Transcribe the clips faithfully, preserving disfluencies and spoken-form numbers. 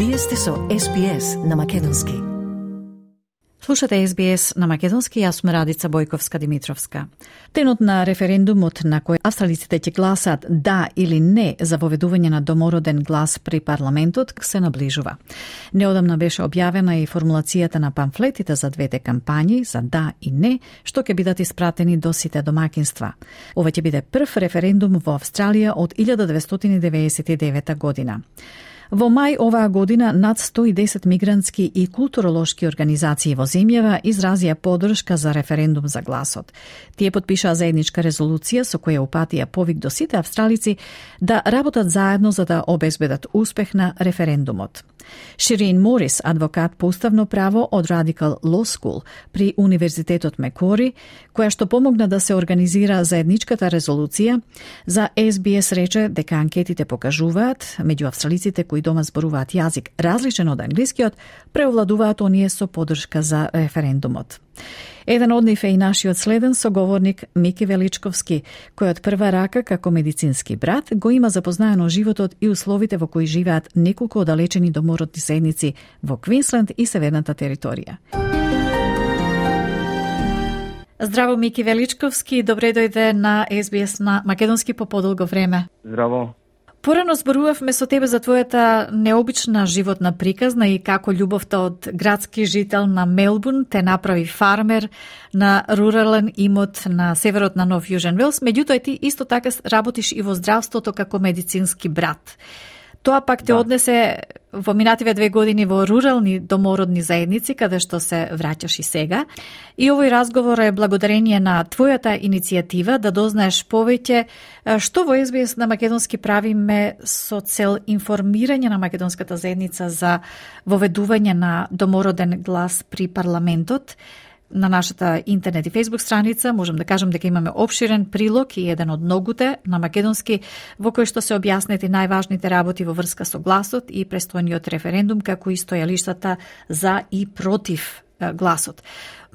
Вие сте со Ес Би Ес на Македонски. Слушате Ес Би Ес на Македонски, јас сум Радица Бојковска-Димитровска. Денот на референдумот на кој австралиците ќе гласат да или не за воведување на домороден глас при парламентот се наближува. Неодамна беше објавена и формулацијата на памфлетите за двете кампањи за да и не, што ќе бидат испратени до сите домакинства. Ова ќе биде прв референдум во Австралија од илјада деветстотини деветдесет и девета година. Во мај оваа година над сто и десет мигрантски и културолошки организации во земјава изразија поддршка за референдум за гласот. Тие потпишаа заедничка резолуција со која упатија повик до сите австралици да работат заедно за да обезбедат успех на референдумот. Ширин Морис, адвокат по уставно право од Radical Law School при Универзитетот Мекори, која што помогна да се организира заедничката резолуција, за Ес Би Ес рече дека анкетите покажуваат меѓу австралиците кои дома зборуваат јазик различен од англискиот, преовладуваат оние со поддршка за референдумот. Еден од нив е и нашиот следен соговорник Мики Величковски, кој од прва рака како медицински брат го има запознаено животот и условите во кои живеат неколку оддалечени домородни заедници во Квинсленд и Северната територија. Здраво, Мики Величковски, добре дојде на Ес Би Ес на Македонски по подолго време. Здраво. Порано зборувавме со тебе за твојата необична животна приказна и како љубовта од градски жител на Мелбурн те направи фармер на рурален имот на северот на Нов Јужен Велс. Меѓутоа ти исто така работиш и во здравството како медицински брат. Тоа пак те да. однесе во минативе две години во рурални домородни заедници, каде што се враќаш и сега. И овој разговор е благодарение на твојата иницијатива да дознаеш повеќе што во Ес Би Ес на Македонски правиме со цел информирање на македонската заедница за воведување на домороден глас при парламентот. На нашата интернет и фейсбук страница можам да кажам дека имаме обширен прилог и еден од многуте на македонски во кој што се објаснети најважните работи во врска со гласот и престојниот референдум, како и стојалиштата за и против гласот.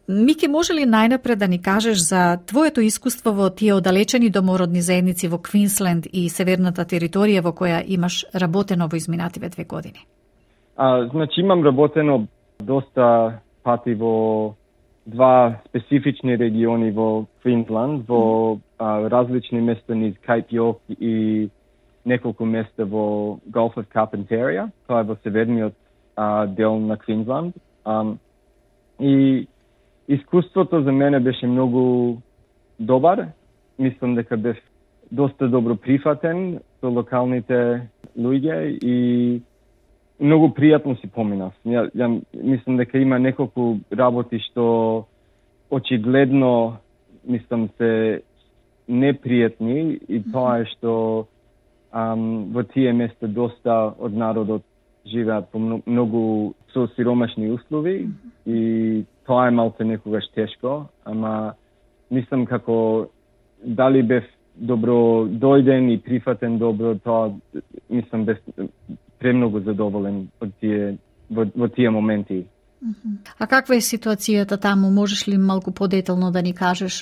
Мики, може ли најнапред да ни кажеш за твоето искуство во тие оддалечени домородни заедници во Квинсленд и Северната територија во која имаш работено во изминативе две години? А, значи имам работено доста пати во два специфични региони во Квинсленд, во а, различни места низ Кајп Јорк и неколку места во Gulf of Carpentaria, тоа е во северниот а, дел на Квинсленд. Um, и искуството за мене беше многу добар. Мислам дека бев доста добро прифатен со локалните луѓе и многу пријатно си поминав. Ја, ја мислам дека има неколку работи што очигледно мислам се непријатни и тоа е што ам, во тие места доста од народот живеат по многу со сиромашни услови и тоа е малку некогаш тешко, ама мислам како дали бев добро дојден и прифатен добро, тоа мислам бев премногу задоволен од тие, во, во тие моменти. А каква е ситуацијата таму? Можеш ли малку подетално да ни кажеш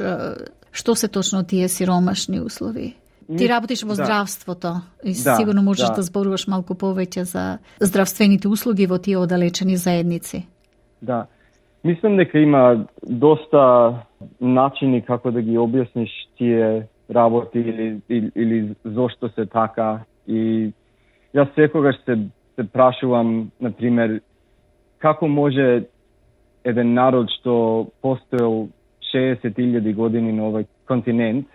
што се точно тие сиромашни услови? Ти работиш во здравството и да, сигурно можеш да. да да зборуваш малку повеќе за здравствените услуги во тие оддалечени заедници. Да. Мислам дека има доста начини како да ги објасниш тие работи или, или, или зошто се така. И јас секогаш се, се прашувам, например, како може еден народ што постоел шеесет илјади години на овој континент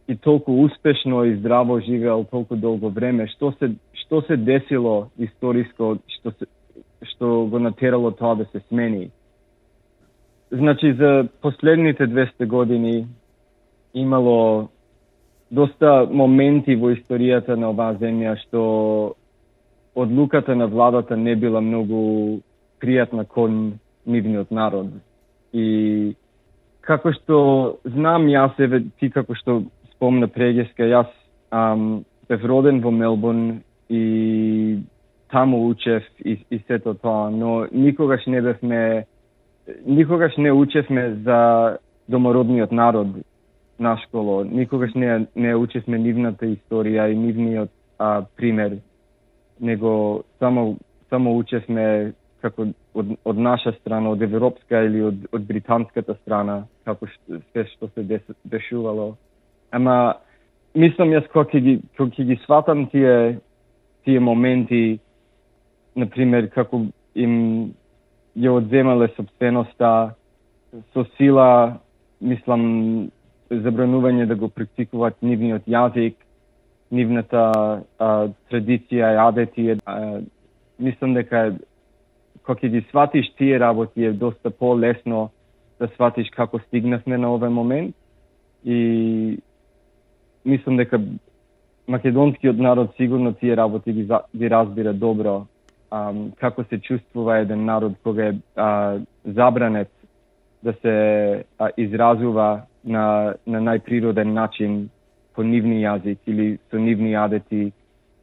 и толку успешно и здраво живеел толку долго време, што се што се десило историско што се што го натерало тоа да се смени. Значи за последните двесте години имало доста моменти во историјата на оваа земја што одлуката на владата не била многу пријатна кон нивниот народ. И како што знам јас, еве ти како што спомна преѓеска, јас ам, бев роден во Мелбурн и таму учев и, и сето тоа, но никогаш не бевме, никогаш не учевме за домородниот народ на школа, никогаш не, не учевме нивната историја и нивниот а, пример, него само само учевме како од, од наша страна, од европска или од, од британската страна, како се што се дес, дешувало. Ама мислам јас кога ги кога ги сватам тие тие моменти, на пример како им ја одземале сопственоста со сила, мислам забранување да го практикуваат нивниот јазик, нивната а, традиција и адети. А, мислам дека кога ги сватиш тие работи е доста по-лесно да сватиш како стигнавме на овој момент. И мислам дека македонскиот народ сигурно тие работи ги, ги разбира добро. А, како се чувствува еден народ кога е а, забранет да се а, изразува на, на најприроден начин по нивни јазик или со нивни адети,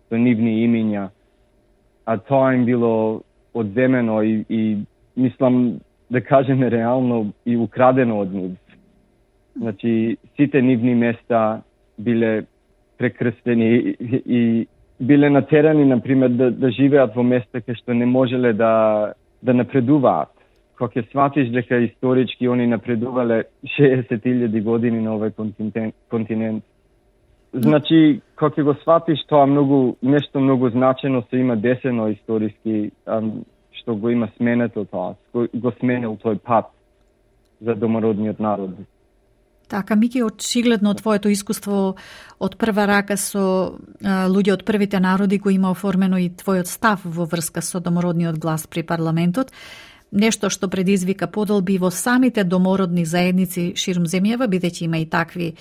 со нивни имиња. А тоа им било одземено и, и мислам да кажеме реално и украдено од нив. Значи, сите нивни места биле прекрстени и, и биле натерани, например, да, да живеат во места кај што не можеле да, да напредуваат. Кога ќе сватиш дека исторички они напредувале шеесет илјади години на овој континент, континент. Значи, кога ќе го сватиш тоа многу, нешто многу значено се има десено историски, ам, што го има сменето тоа, го сменил тој пат за домородниот народ. Така, Мики, очигледно твоето искуство од прва рака со а, луѓе од првите народи го има оформено и твојот став во врска со домородниот глас при парламентот, нешто што предизвика подолби во самите домородни заедници ширум земјава, бидејќи има и такви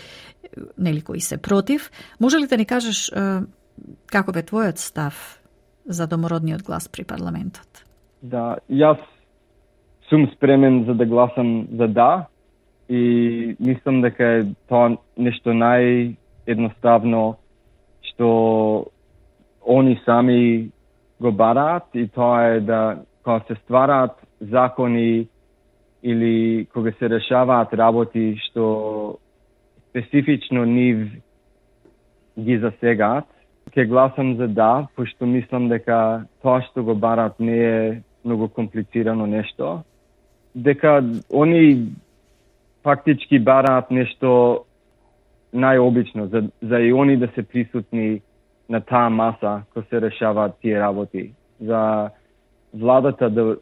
нели кои се против. Може ли да ни кажеш а, каков е твојот став за домородниот глас при парламентот? Да, јас сум спремен за да гласам за да. И мислам дека е тоа нешто наједноставно што они сами го бараат, и тоа е да кога се ствараат закони или кога се решаваат работи што специфично нив ги засегаат, ќе гласам за да, пошто мислам дека тоа што го бараат не е многу комплицирано нешто, дека они фактички бараат нешто најобично, за, за и они да се присутни на таа маса кој се решаваат тие работи. За владата да,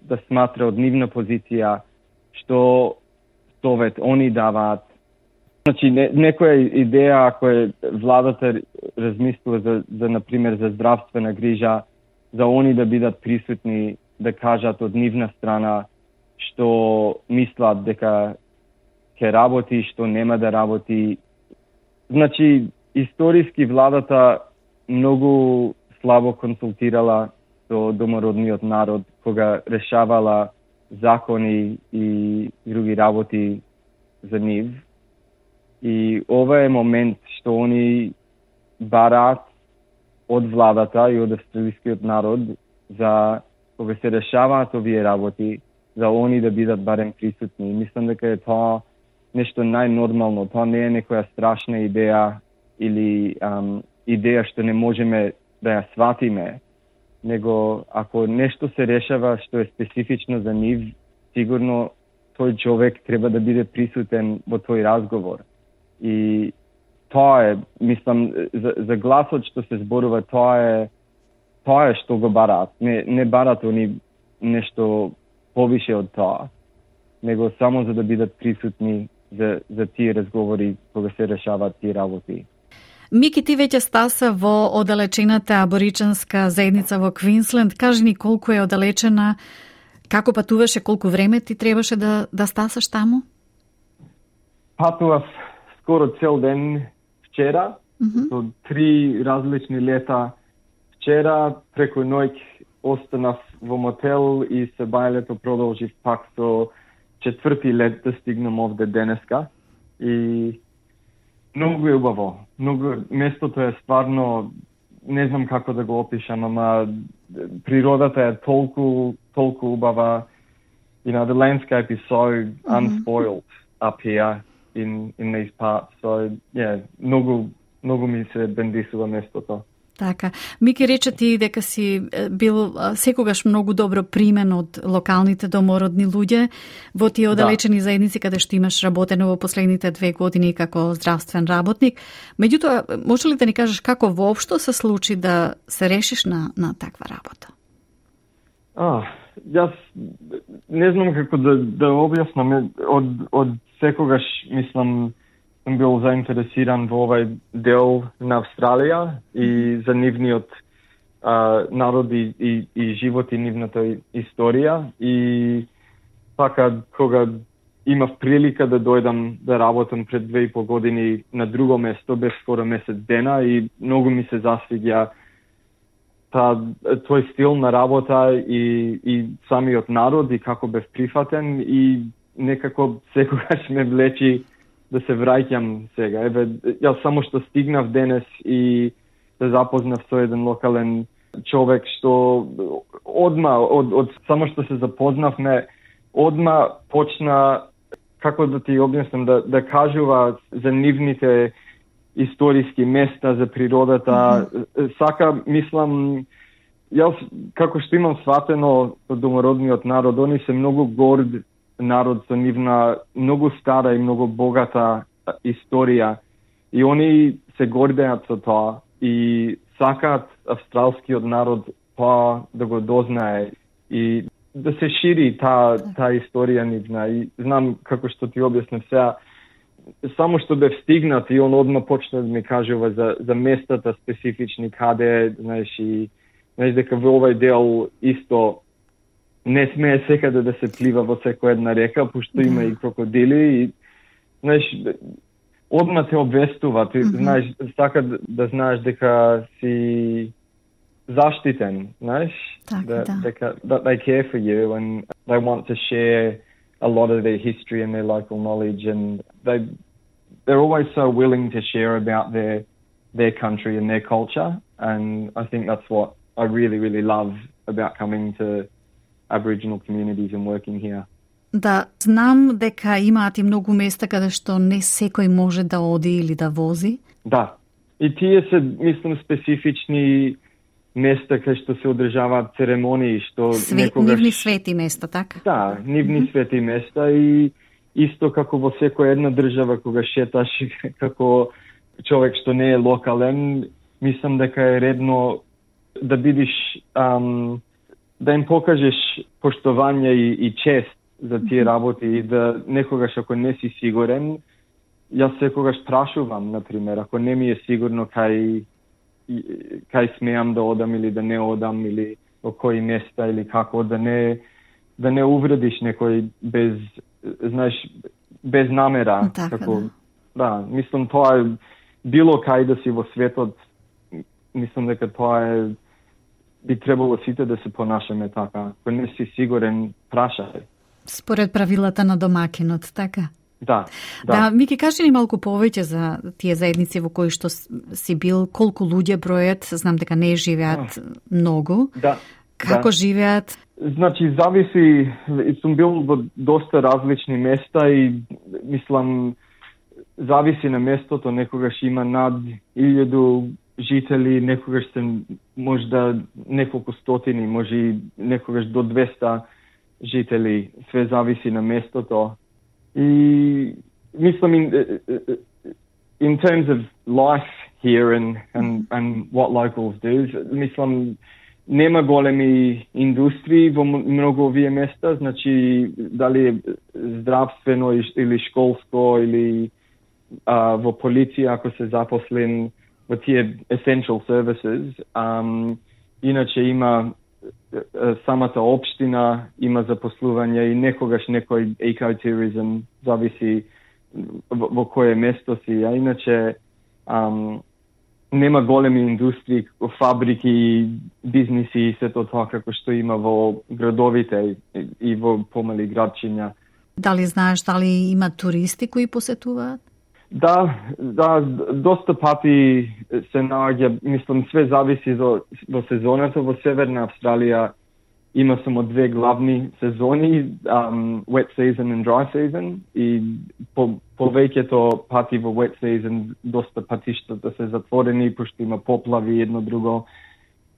да сматра од нивна позиција што совет они даваат. Значи, не, некоја идеја, ако е владата размислува за, за, например, за здравствена грижа, за они да бидат присутни, да кажат од нивна страна што мислат дека ќе работи, што нема да работи. Значи, историски владата многу слабо консултирала со домородниот народ кога решавала закони и други работи за нив. И ова е момент што они бараат од владата и од австралискиот народ за кога се решаваат овие работи, за они да бидат барем присутни. Мислам дека е тоа нешто најнормално. Тоа не е некоја страшна идеја или ам, идеја што не можеме да ја сватиме, него ако нешто се решава што е специфично за нив, сигурно тој човек треба да биде присутен во тој разговор. И тоа е, мислам, за, за гласот што се зборува, тоа е тоа е што го бараат. Не, не бараат они нешто повише од тоа, него само за да бидат присутни за, за тие разговори кога се решаваат тие работи. Мики, ти веќе стаса во оддалечената аборичанска заедница во Квинсленд. Кажи ни колку е оддалечена, како патуваше, колку време ти требаше да, да стасаш таму? Патував скоро цел ден вчера, mm-hmm. со три различни лета. Вчера преку ноќ останав во мотел и се бајлето продолжив пак со четврти лет да стигнам овде денеска. И многу е убаво. Многу, местото е стварно, не знам како да го опишам, ама природата е толку, толку убава. You know, the landscape is so mm-hmm. unspoiled up here in, in these parts. So, yeah, многу, многу ми се бендисува местото. Така. Мики рече ти дека си бил секогаш многу добро примен од локалните домородни луѓе во тие оддалечени да. заедници каде што имаш работено во последните две години како здравствен работник. Меѓутоа, може ли да ни кажеш како воопшто се случи да се решиш на, на таква работа? А, јас не знам како да, да објаснам. Од, од секогаш, мислам, сум бил заинтересиран во овај дел на Австралија и за нивниот а, народ и, и, и живот и нивната историја. И така, кога имав прилика да дојдам да работам пред две и пол години на друго место, без скоро месец дена, и многу ми се засвиѓа та, тој стил на работа и, и самиот народ и како бев прифатен, и некако секогаш ме влечи да се враќам сега. Еве, јас само што стигнав денес и се запознав со еден локален човек што одма, од, од само што се запознавме, одма почна, како да ти објаснам, да, да кажува за нивните историски места, за природата. Mm-hmm. Сака, мислам, јас како што имам сватено од домородниот народ, они се многу горд народ со нивна многу стара и многу богата историја, и они се гордеат со тоа и сакаат австралскиот народ тоа да го дознае и да се шири таа та историја нивна. И знам, како што ти објаснив сега, само што бев стигнат и он одма почна да ми кажува за, за местата специфични каде, знаеш, и знаеш дека во овај дел исто не смее секаде да се плива во секоја една река, пошто има да. и крокодили, и знаеш, одма те обвестува, ти mm-hmm. знаеш, сака да, да знаеш дека си заштитен, знаеш, так, that, да. дека, that they care for you and they want to share a lot of their history and their local knowledge, and they they're always so willing to share about their their country and their culture, and I think that's what I really really love about coming to Aboriginal communities and working here. Да, знам дека имаат и многу места каде што не секој може да оди или да вози. Да. И тие се, мислам, специфични места кај што се одржаваат церемонии, што Свет, некогаш... нивни свети места, така? Да, нивни mm-hmm. свети места, и исто како во секоја една држава кога шеташ како човек што не е локален, мислам дека е редно да бидиш ам, да им покажеш поштовање и, и чест за тие работи, и да некогаш ако не си сигурен, јас секогаш прашувам, например, ако не ми е сигурно кај кај смеам да одам или да не одам, или во кои места, или како, да не да не увредиш некој без, знаеш, без намера. Така, како, да. Да, мислам тоа е било кај да си во светот, мислам дека тоа е би требало сите да се понашаме така. Ако не си сигурен, прашај. Според правилата на домакинот, така? Да, да. Да, Мики, кажи ни малку повеќе за тие заедници во кои што си бил, колку луѓе бројат, знам дека не живеат а. многу. Да. Како да. живеат? Значи, зависи, сум бил во доста различни места и, мислам, зависи на местото, некогаш има над илјаду жители, некогаш се можда неколку стотини, може и некогаш до двеста жители, све зависи на местото. И мислам, in, in terms of life here and, and, and what locals do, мислам, нема големи индустрии во многу овие места, значи дали е здравствено или школско или а, во полиција ако се запослен во тие essential services. Um, иначе има самата општина има запослување и некогаш некој екотуризм, зависи во, во кое место си, а иначе um, нема големи индустрии, фабрики, бизниси и сето тоа како што има во градовите и во помали градчиња. Дали знаеш дали има туристи кои посетуваат? Да, да, доста пати се наоѓа, мислам, све зависи до, до сезоната. Во Северна Австралија има само две главни сезони, um, wet season and dry season, и по, повеќето пати во wet season доста патиштата се затворени, пошто има поплави едно друго.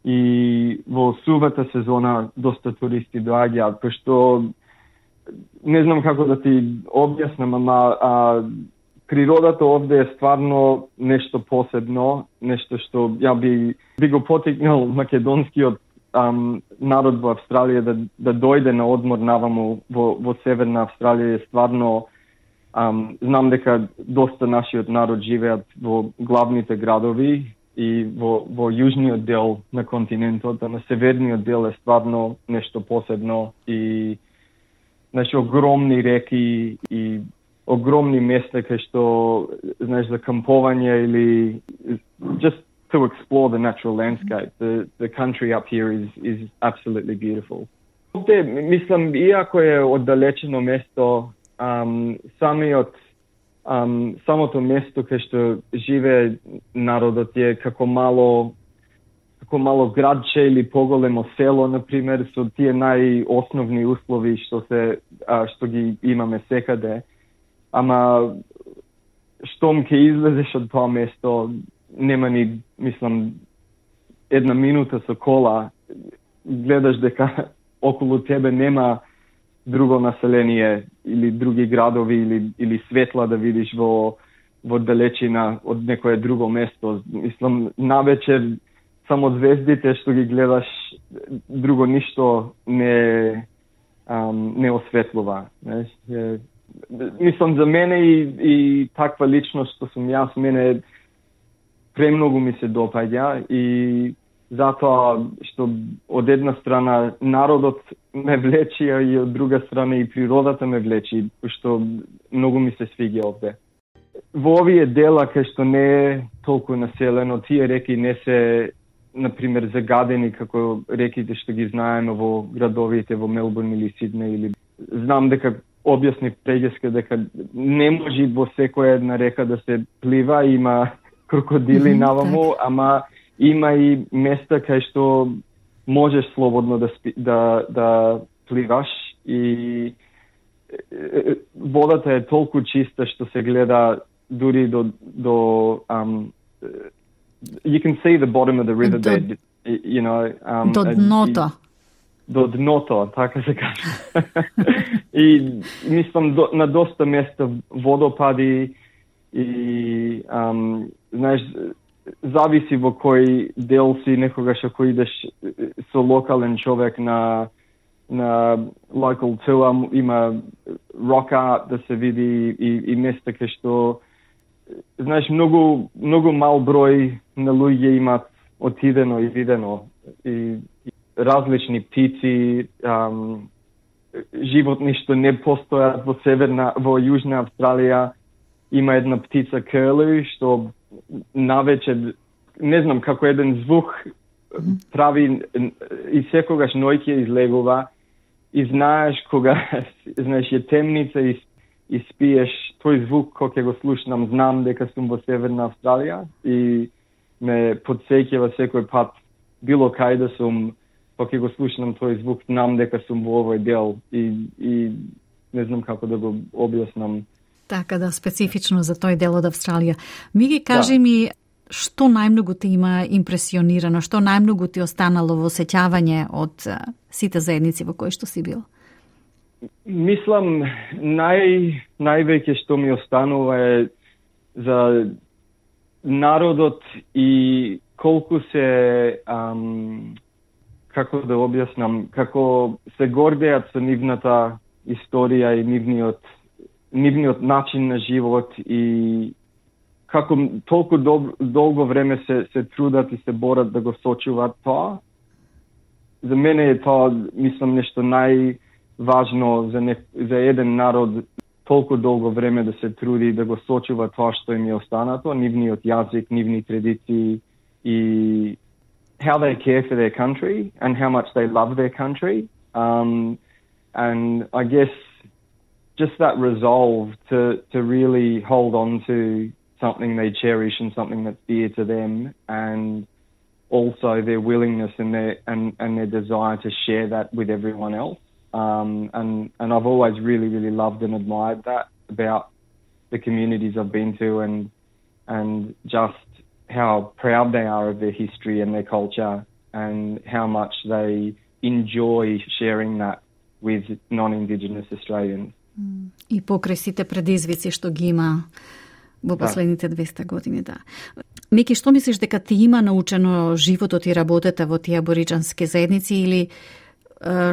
И во сувата сезона доста туристи доаѓаат, пошто не знам како да ти објаснам, ама а, природата овде е стварно нешто посебно, нешто што ја би, би го потикнал македонскиот um, народ во Австралија да, да дојде на одмор наваму во, во Северна Австралија. Е стварно, um, знам дека доста нашиот народ живеат во главните градови и во, во јужниот дел на континентот, а на северниот дел е стварно нешто посебно и значи огромни реки и огромни места кај што, знаеш, за кампување или just to explore the natural landscape. The the country up here is is absolutely beautiful. Овде, мислам, иако е оддалечено место, um, самиот um, самото место кај што живее народот е како мало како мало градче или поголемо село, например, со тие најосновни услови што се а, што ги имаме секаде. Ама штом ќе излезеш од тоа место, нема ни, мислам, една минута со кола, гледаш дека околу тебе нема друго население или други градови или или светла да видиш во во далечина од некое друго место. Мислам, навечер само звездите што ги гледаш, друго ништо не ам, не осветлува, знаеш. Мислам, за мене и, и таква личност што сум јас, мене премногу ми се допаѓа и затоа што од една страна народот ме влечи, а и од друга страна и природата ме влечи, што многу ми се свиѓа овде. Во овие дела кај што не е толку населено, тие реки не се, например, загадени како реките што ги знаеме во градовите во Мелбурн или Сиднеј, или знам дека објасни преѓеска дека не може во секоја една река да се плива, има крокодили mm-hmm, наваму, так. Ама има и места кај што можеш слободно да, спи, да, да пливаш и водата е толку чиста што се гледа дури до до um, you can see the bottom of the riverbed, you know, um, до дното. До дното, така се каже. И мислам до, на доста места водопади и um, знаеш, зависи во кој дел си, некогаш ако идеш со локален човек на на local tour, има rock art да се види и, и места кај што, знаеш, многу многу мал број на луѓе имат отидено и видено и, и различни птици, um, животни што не постојат во северна, во јужна Австралија. Има една птица крлу што навечер, не знам, како еден звук прави и секогаш ноќе излегува и знаеш кога, знаеш, е темница и, и спиеш, тој звук кога ќе го слушнам, знам дека сум во Северна Австралија и ме потсеќава секој пат, било кај да сум, кога ќе го слушнам тој звук, знам дека сум во овој дел и, и не знам како да го објаснам. Така да, специфично за тој дел од Австралија. Ми ги кажи да. ми, што најмногу те има импресионирано, што најмногу ти останало во сеќавање од сите заедници во кои што си бил? Мислам, нај, највеќе што ми останува е за народот и колку се, ам, како да објаснам, како се гордеат со нивната историја и нивниот нивниот начин на живот и како толку дол, долго време се, се трудат и се борат да го сочуваат тоа. За мене е тоа, мислам, нешто најважно за, не, за еден народ толку долго време да се труди да го сочува тоа што им е останато, нивниот јазик, нивни традиции и how they care for their country and how much they love their country. Um, and I guess just that resolve to, to really hold on to something they cherish and something that's dear to them and also their willingness and their and, and their desire to share that with everyone else. Um, and, and I've always really, really loved and admired that about the communities I've been to, and and just how proud they are of their history and their culture, and how much they enjoy sharing that with non-Indigenous Australians. И покрај сите предизвици што ги има во последните двеста години, да. Мики, што мислиш дека ти има научено животот и работата во тие абориџански заедници, или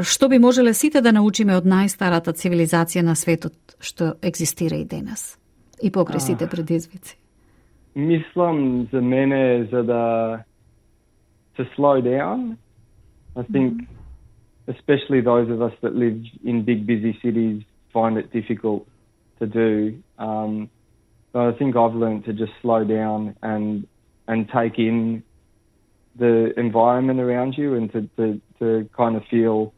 што би можеле сите да научиме од најстарата цивилизација на светот што екзистира и денес и покрај сите предизвици? Мислам за мене за да to slow down. I think mm-hmm. especially those of us that live in big busy cities find it difficult to do. Um, so I think I've learned to just slow down and and take in the environment around you, and to, to, to kind of feel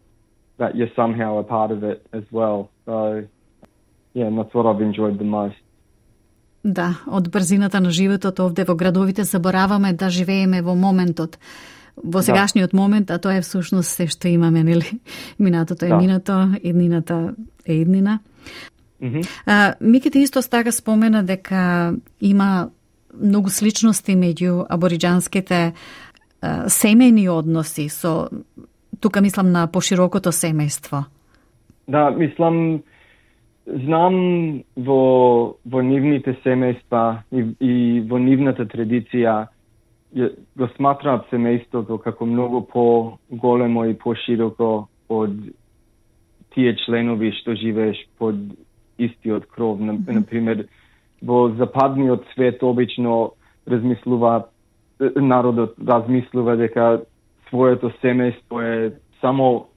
that you're somehow a part of it as well. So, yeah, and that's what I've enjoyed the most. Да, од брзината на животот овде во градовите забораваме да живееме во моментот, во сегашниот да. момент, а тоа е всушност се што имаме, нели? Минатото е да. минато, иднината е иднина. Mm-hmm. А, Мики, ти исто така спомена дека има многу сличности меѓу абориџанските семејни односи со, тука мислам на поширокото семејство. Да, мислам, знам во, во нивните семејства и, и во нивната традиција го сматраат семејството како многу по-големо и по-широко од тие членови што живееш под истиот кров. Mm-hmm. Например, во западниот свет обично размислуваат, народот размислува дека своето семејство е само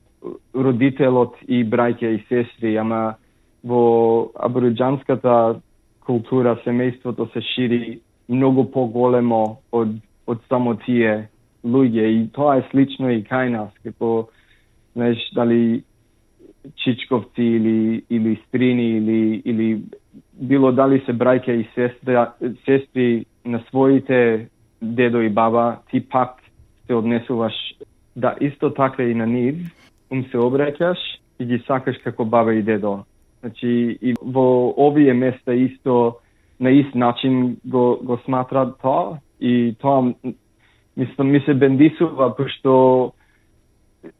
родителот и браќа и сестри, ама во абориџанската култура семејството се шири многу поголемо од од само тие луѓе, и тоа е слично и кај нас, како, знаеш, дали чичковци или или стрини или или било дали се браќа и сестра, сестри на своите дедо и баба, ти пак се однесуваш да исто така и на нив, им се обраќаш и ги сакаш како баба и дедо. Значи, и во овие места исто на ист начин го, го сматрат тоа, и тоа мислам ми се бендисува, пошто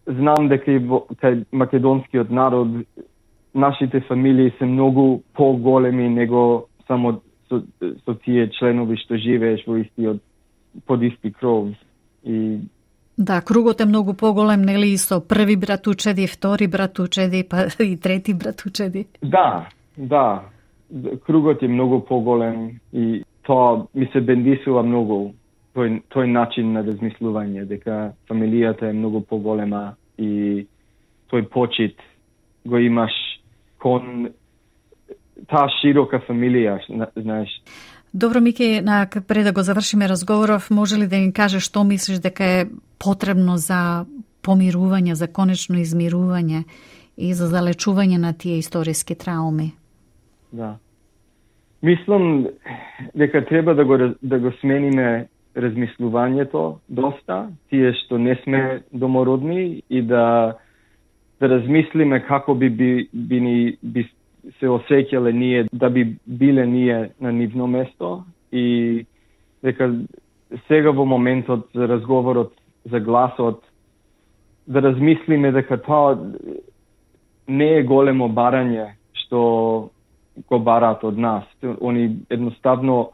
знам дека и во кај македонскиот народ нашите фамилии се многу поголеми него само со, со тие членови што живееш во истиот под исти кров. И да, кругот е многу поголем, нели, и со први братучеди, втори братучеди, па и трети братучеди. Да, да. Кругот е многу поголем и тоа ми се бендисува многу тој тој начин на размислување, дека фамилијата е многу поголема и тој почит го имаш кон таа широка фамилија, знаеш. Добро, Мики, на пред да го завршиме разговоров, може ли да им кажеш што мислиш дека е потребно за помирување, за конечно измирување и за залечување на тие историски трауми? Да. Мислам дека треба да го да го смениме размислувањето доста, тие што не сме домородни, и да да размислиме како би би, би, ни, би се осеќале ние, да би биле ние на нивно место, и дека сега во моментот за разговорот за гласот да размислиме дека тоа не е големо барање што го бараат од нас. Они едноставно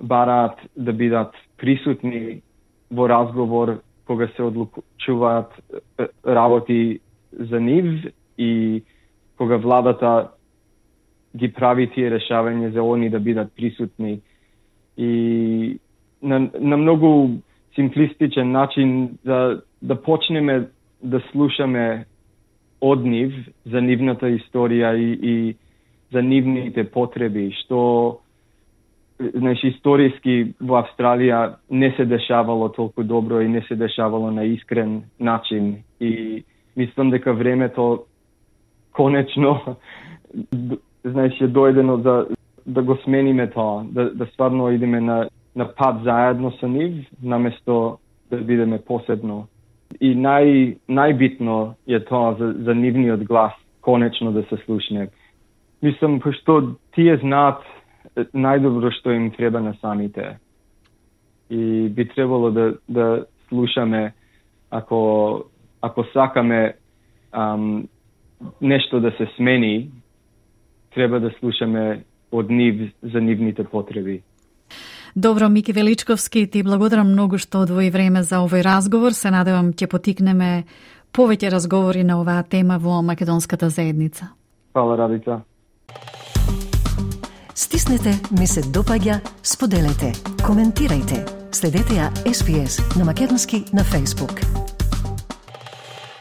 бараат да бидат присутни во разговор кога се одлучуваат работи за нив, и кога владата ги прави тие решавања за они да бидат присутни. И на, на многу симплистичен начин да, да почнеме да слушаме од нив за нивната историја и, и за нивните потреби, што знаеш, историски во Австралија не се дешавало толку добро и не се дешавало на искрен начин. И мислам дека времето конечно знаеш, е дојдено да, да го смениме тоа, да, да стварно идеме на, на пат заедно со нив, наместо да бидеме посебно. И нај, најбитно е тоа за, за нивниот глас конечно да се слушне. Мислам, пошто тие знаат најдобро што им треба на самите. И би требало да, да слушаме ако, ако сакаме ам, нешто да се смени, треба да слушаме од нив за нивните потреби. Добро, Мики Величковски, ти благодарам многу што одвои време за овој разговор. Се надевам ќе потикнеме повеќе разговори на оваа тема во македонската заедница. Фала, Радица. Стиснете, ми се допаѓа, споделете, коментирајте. Следете ја Ес Би Ес на македонски на Facebook.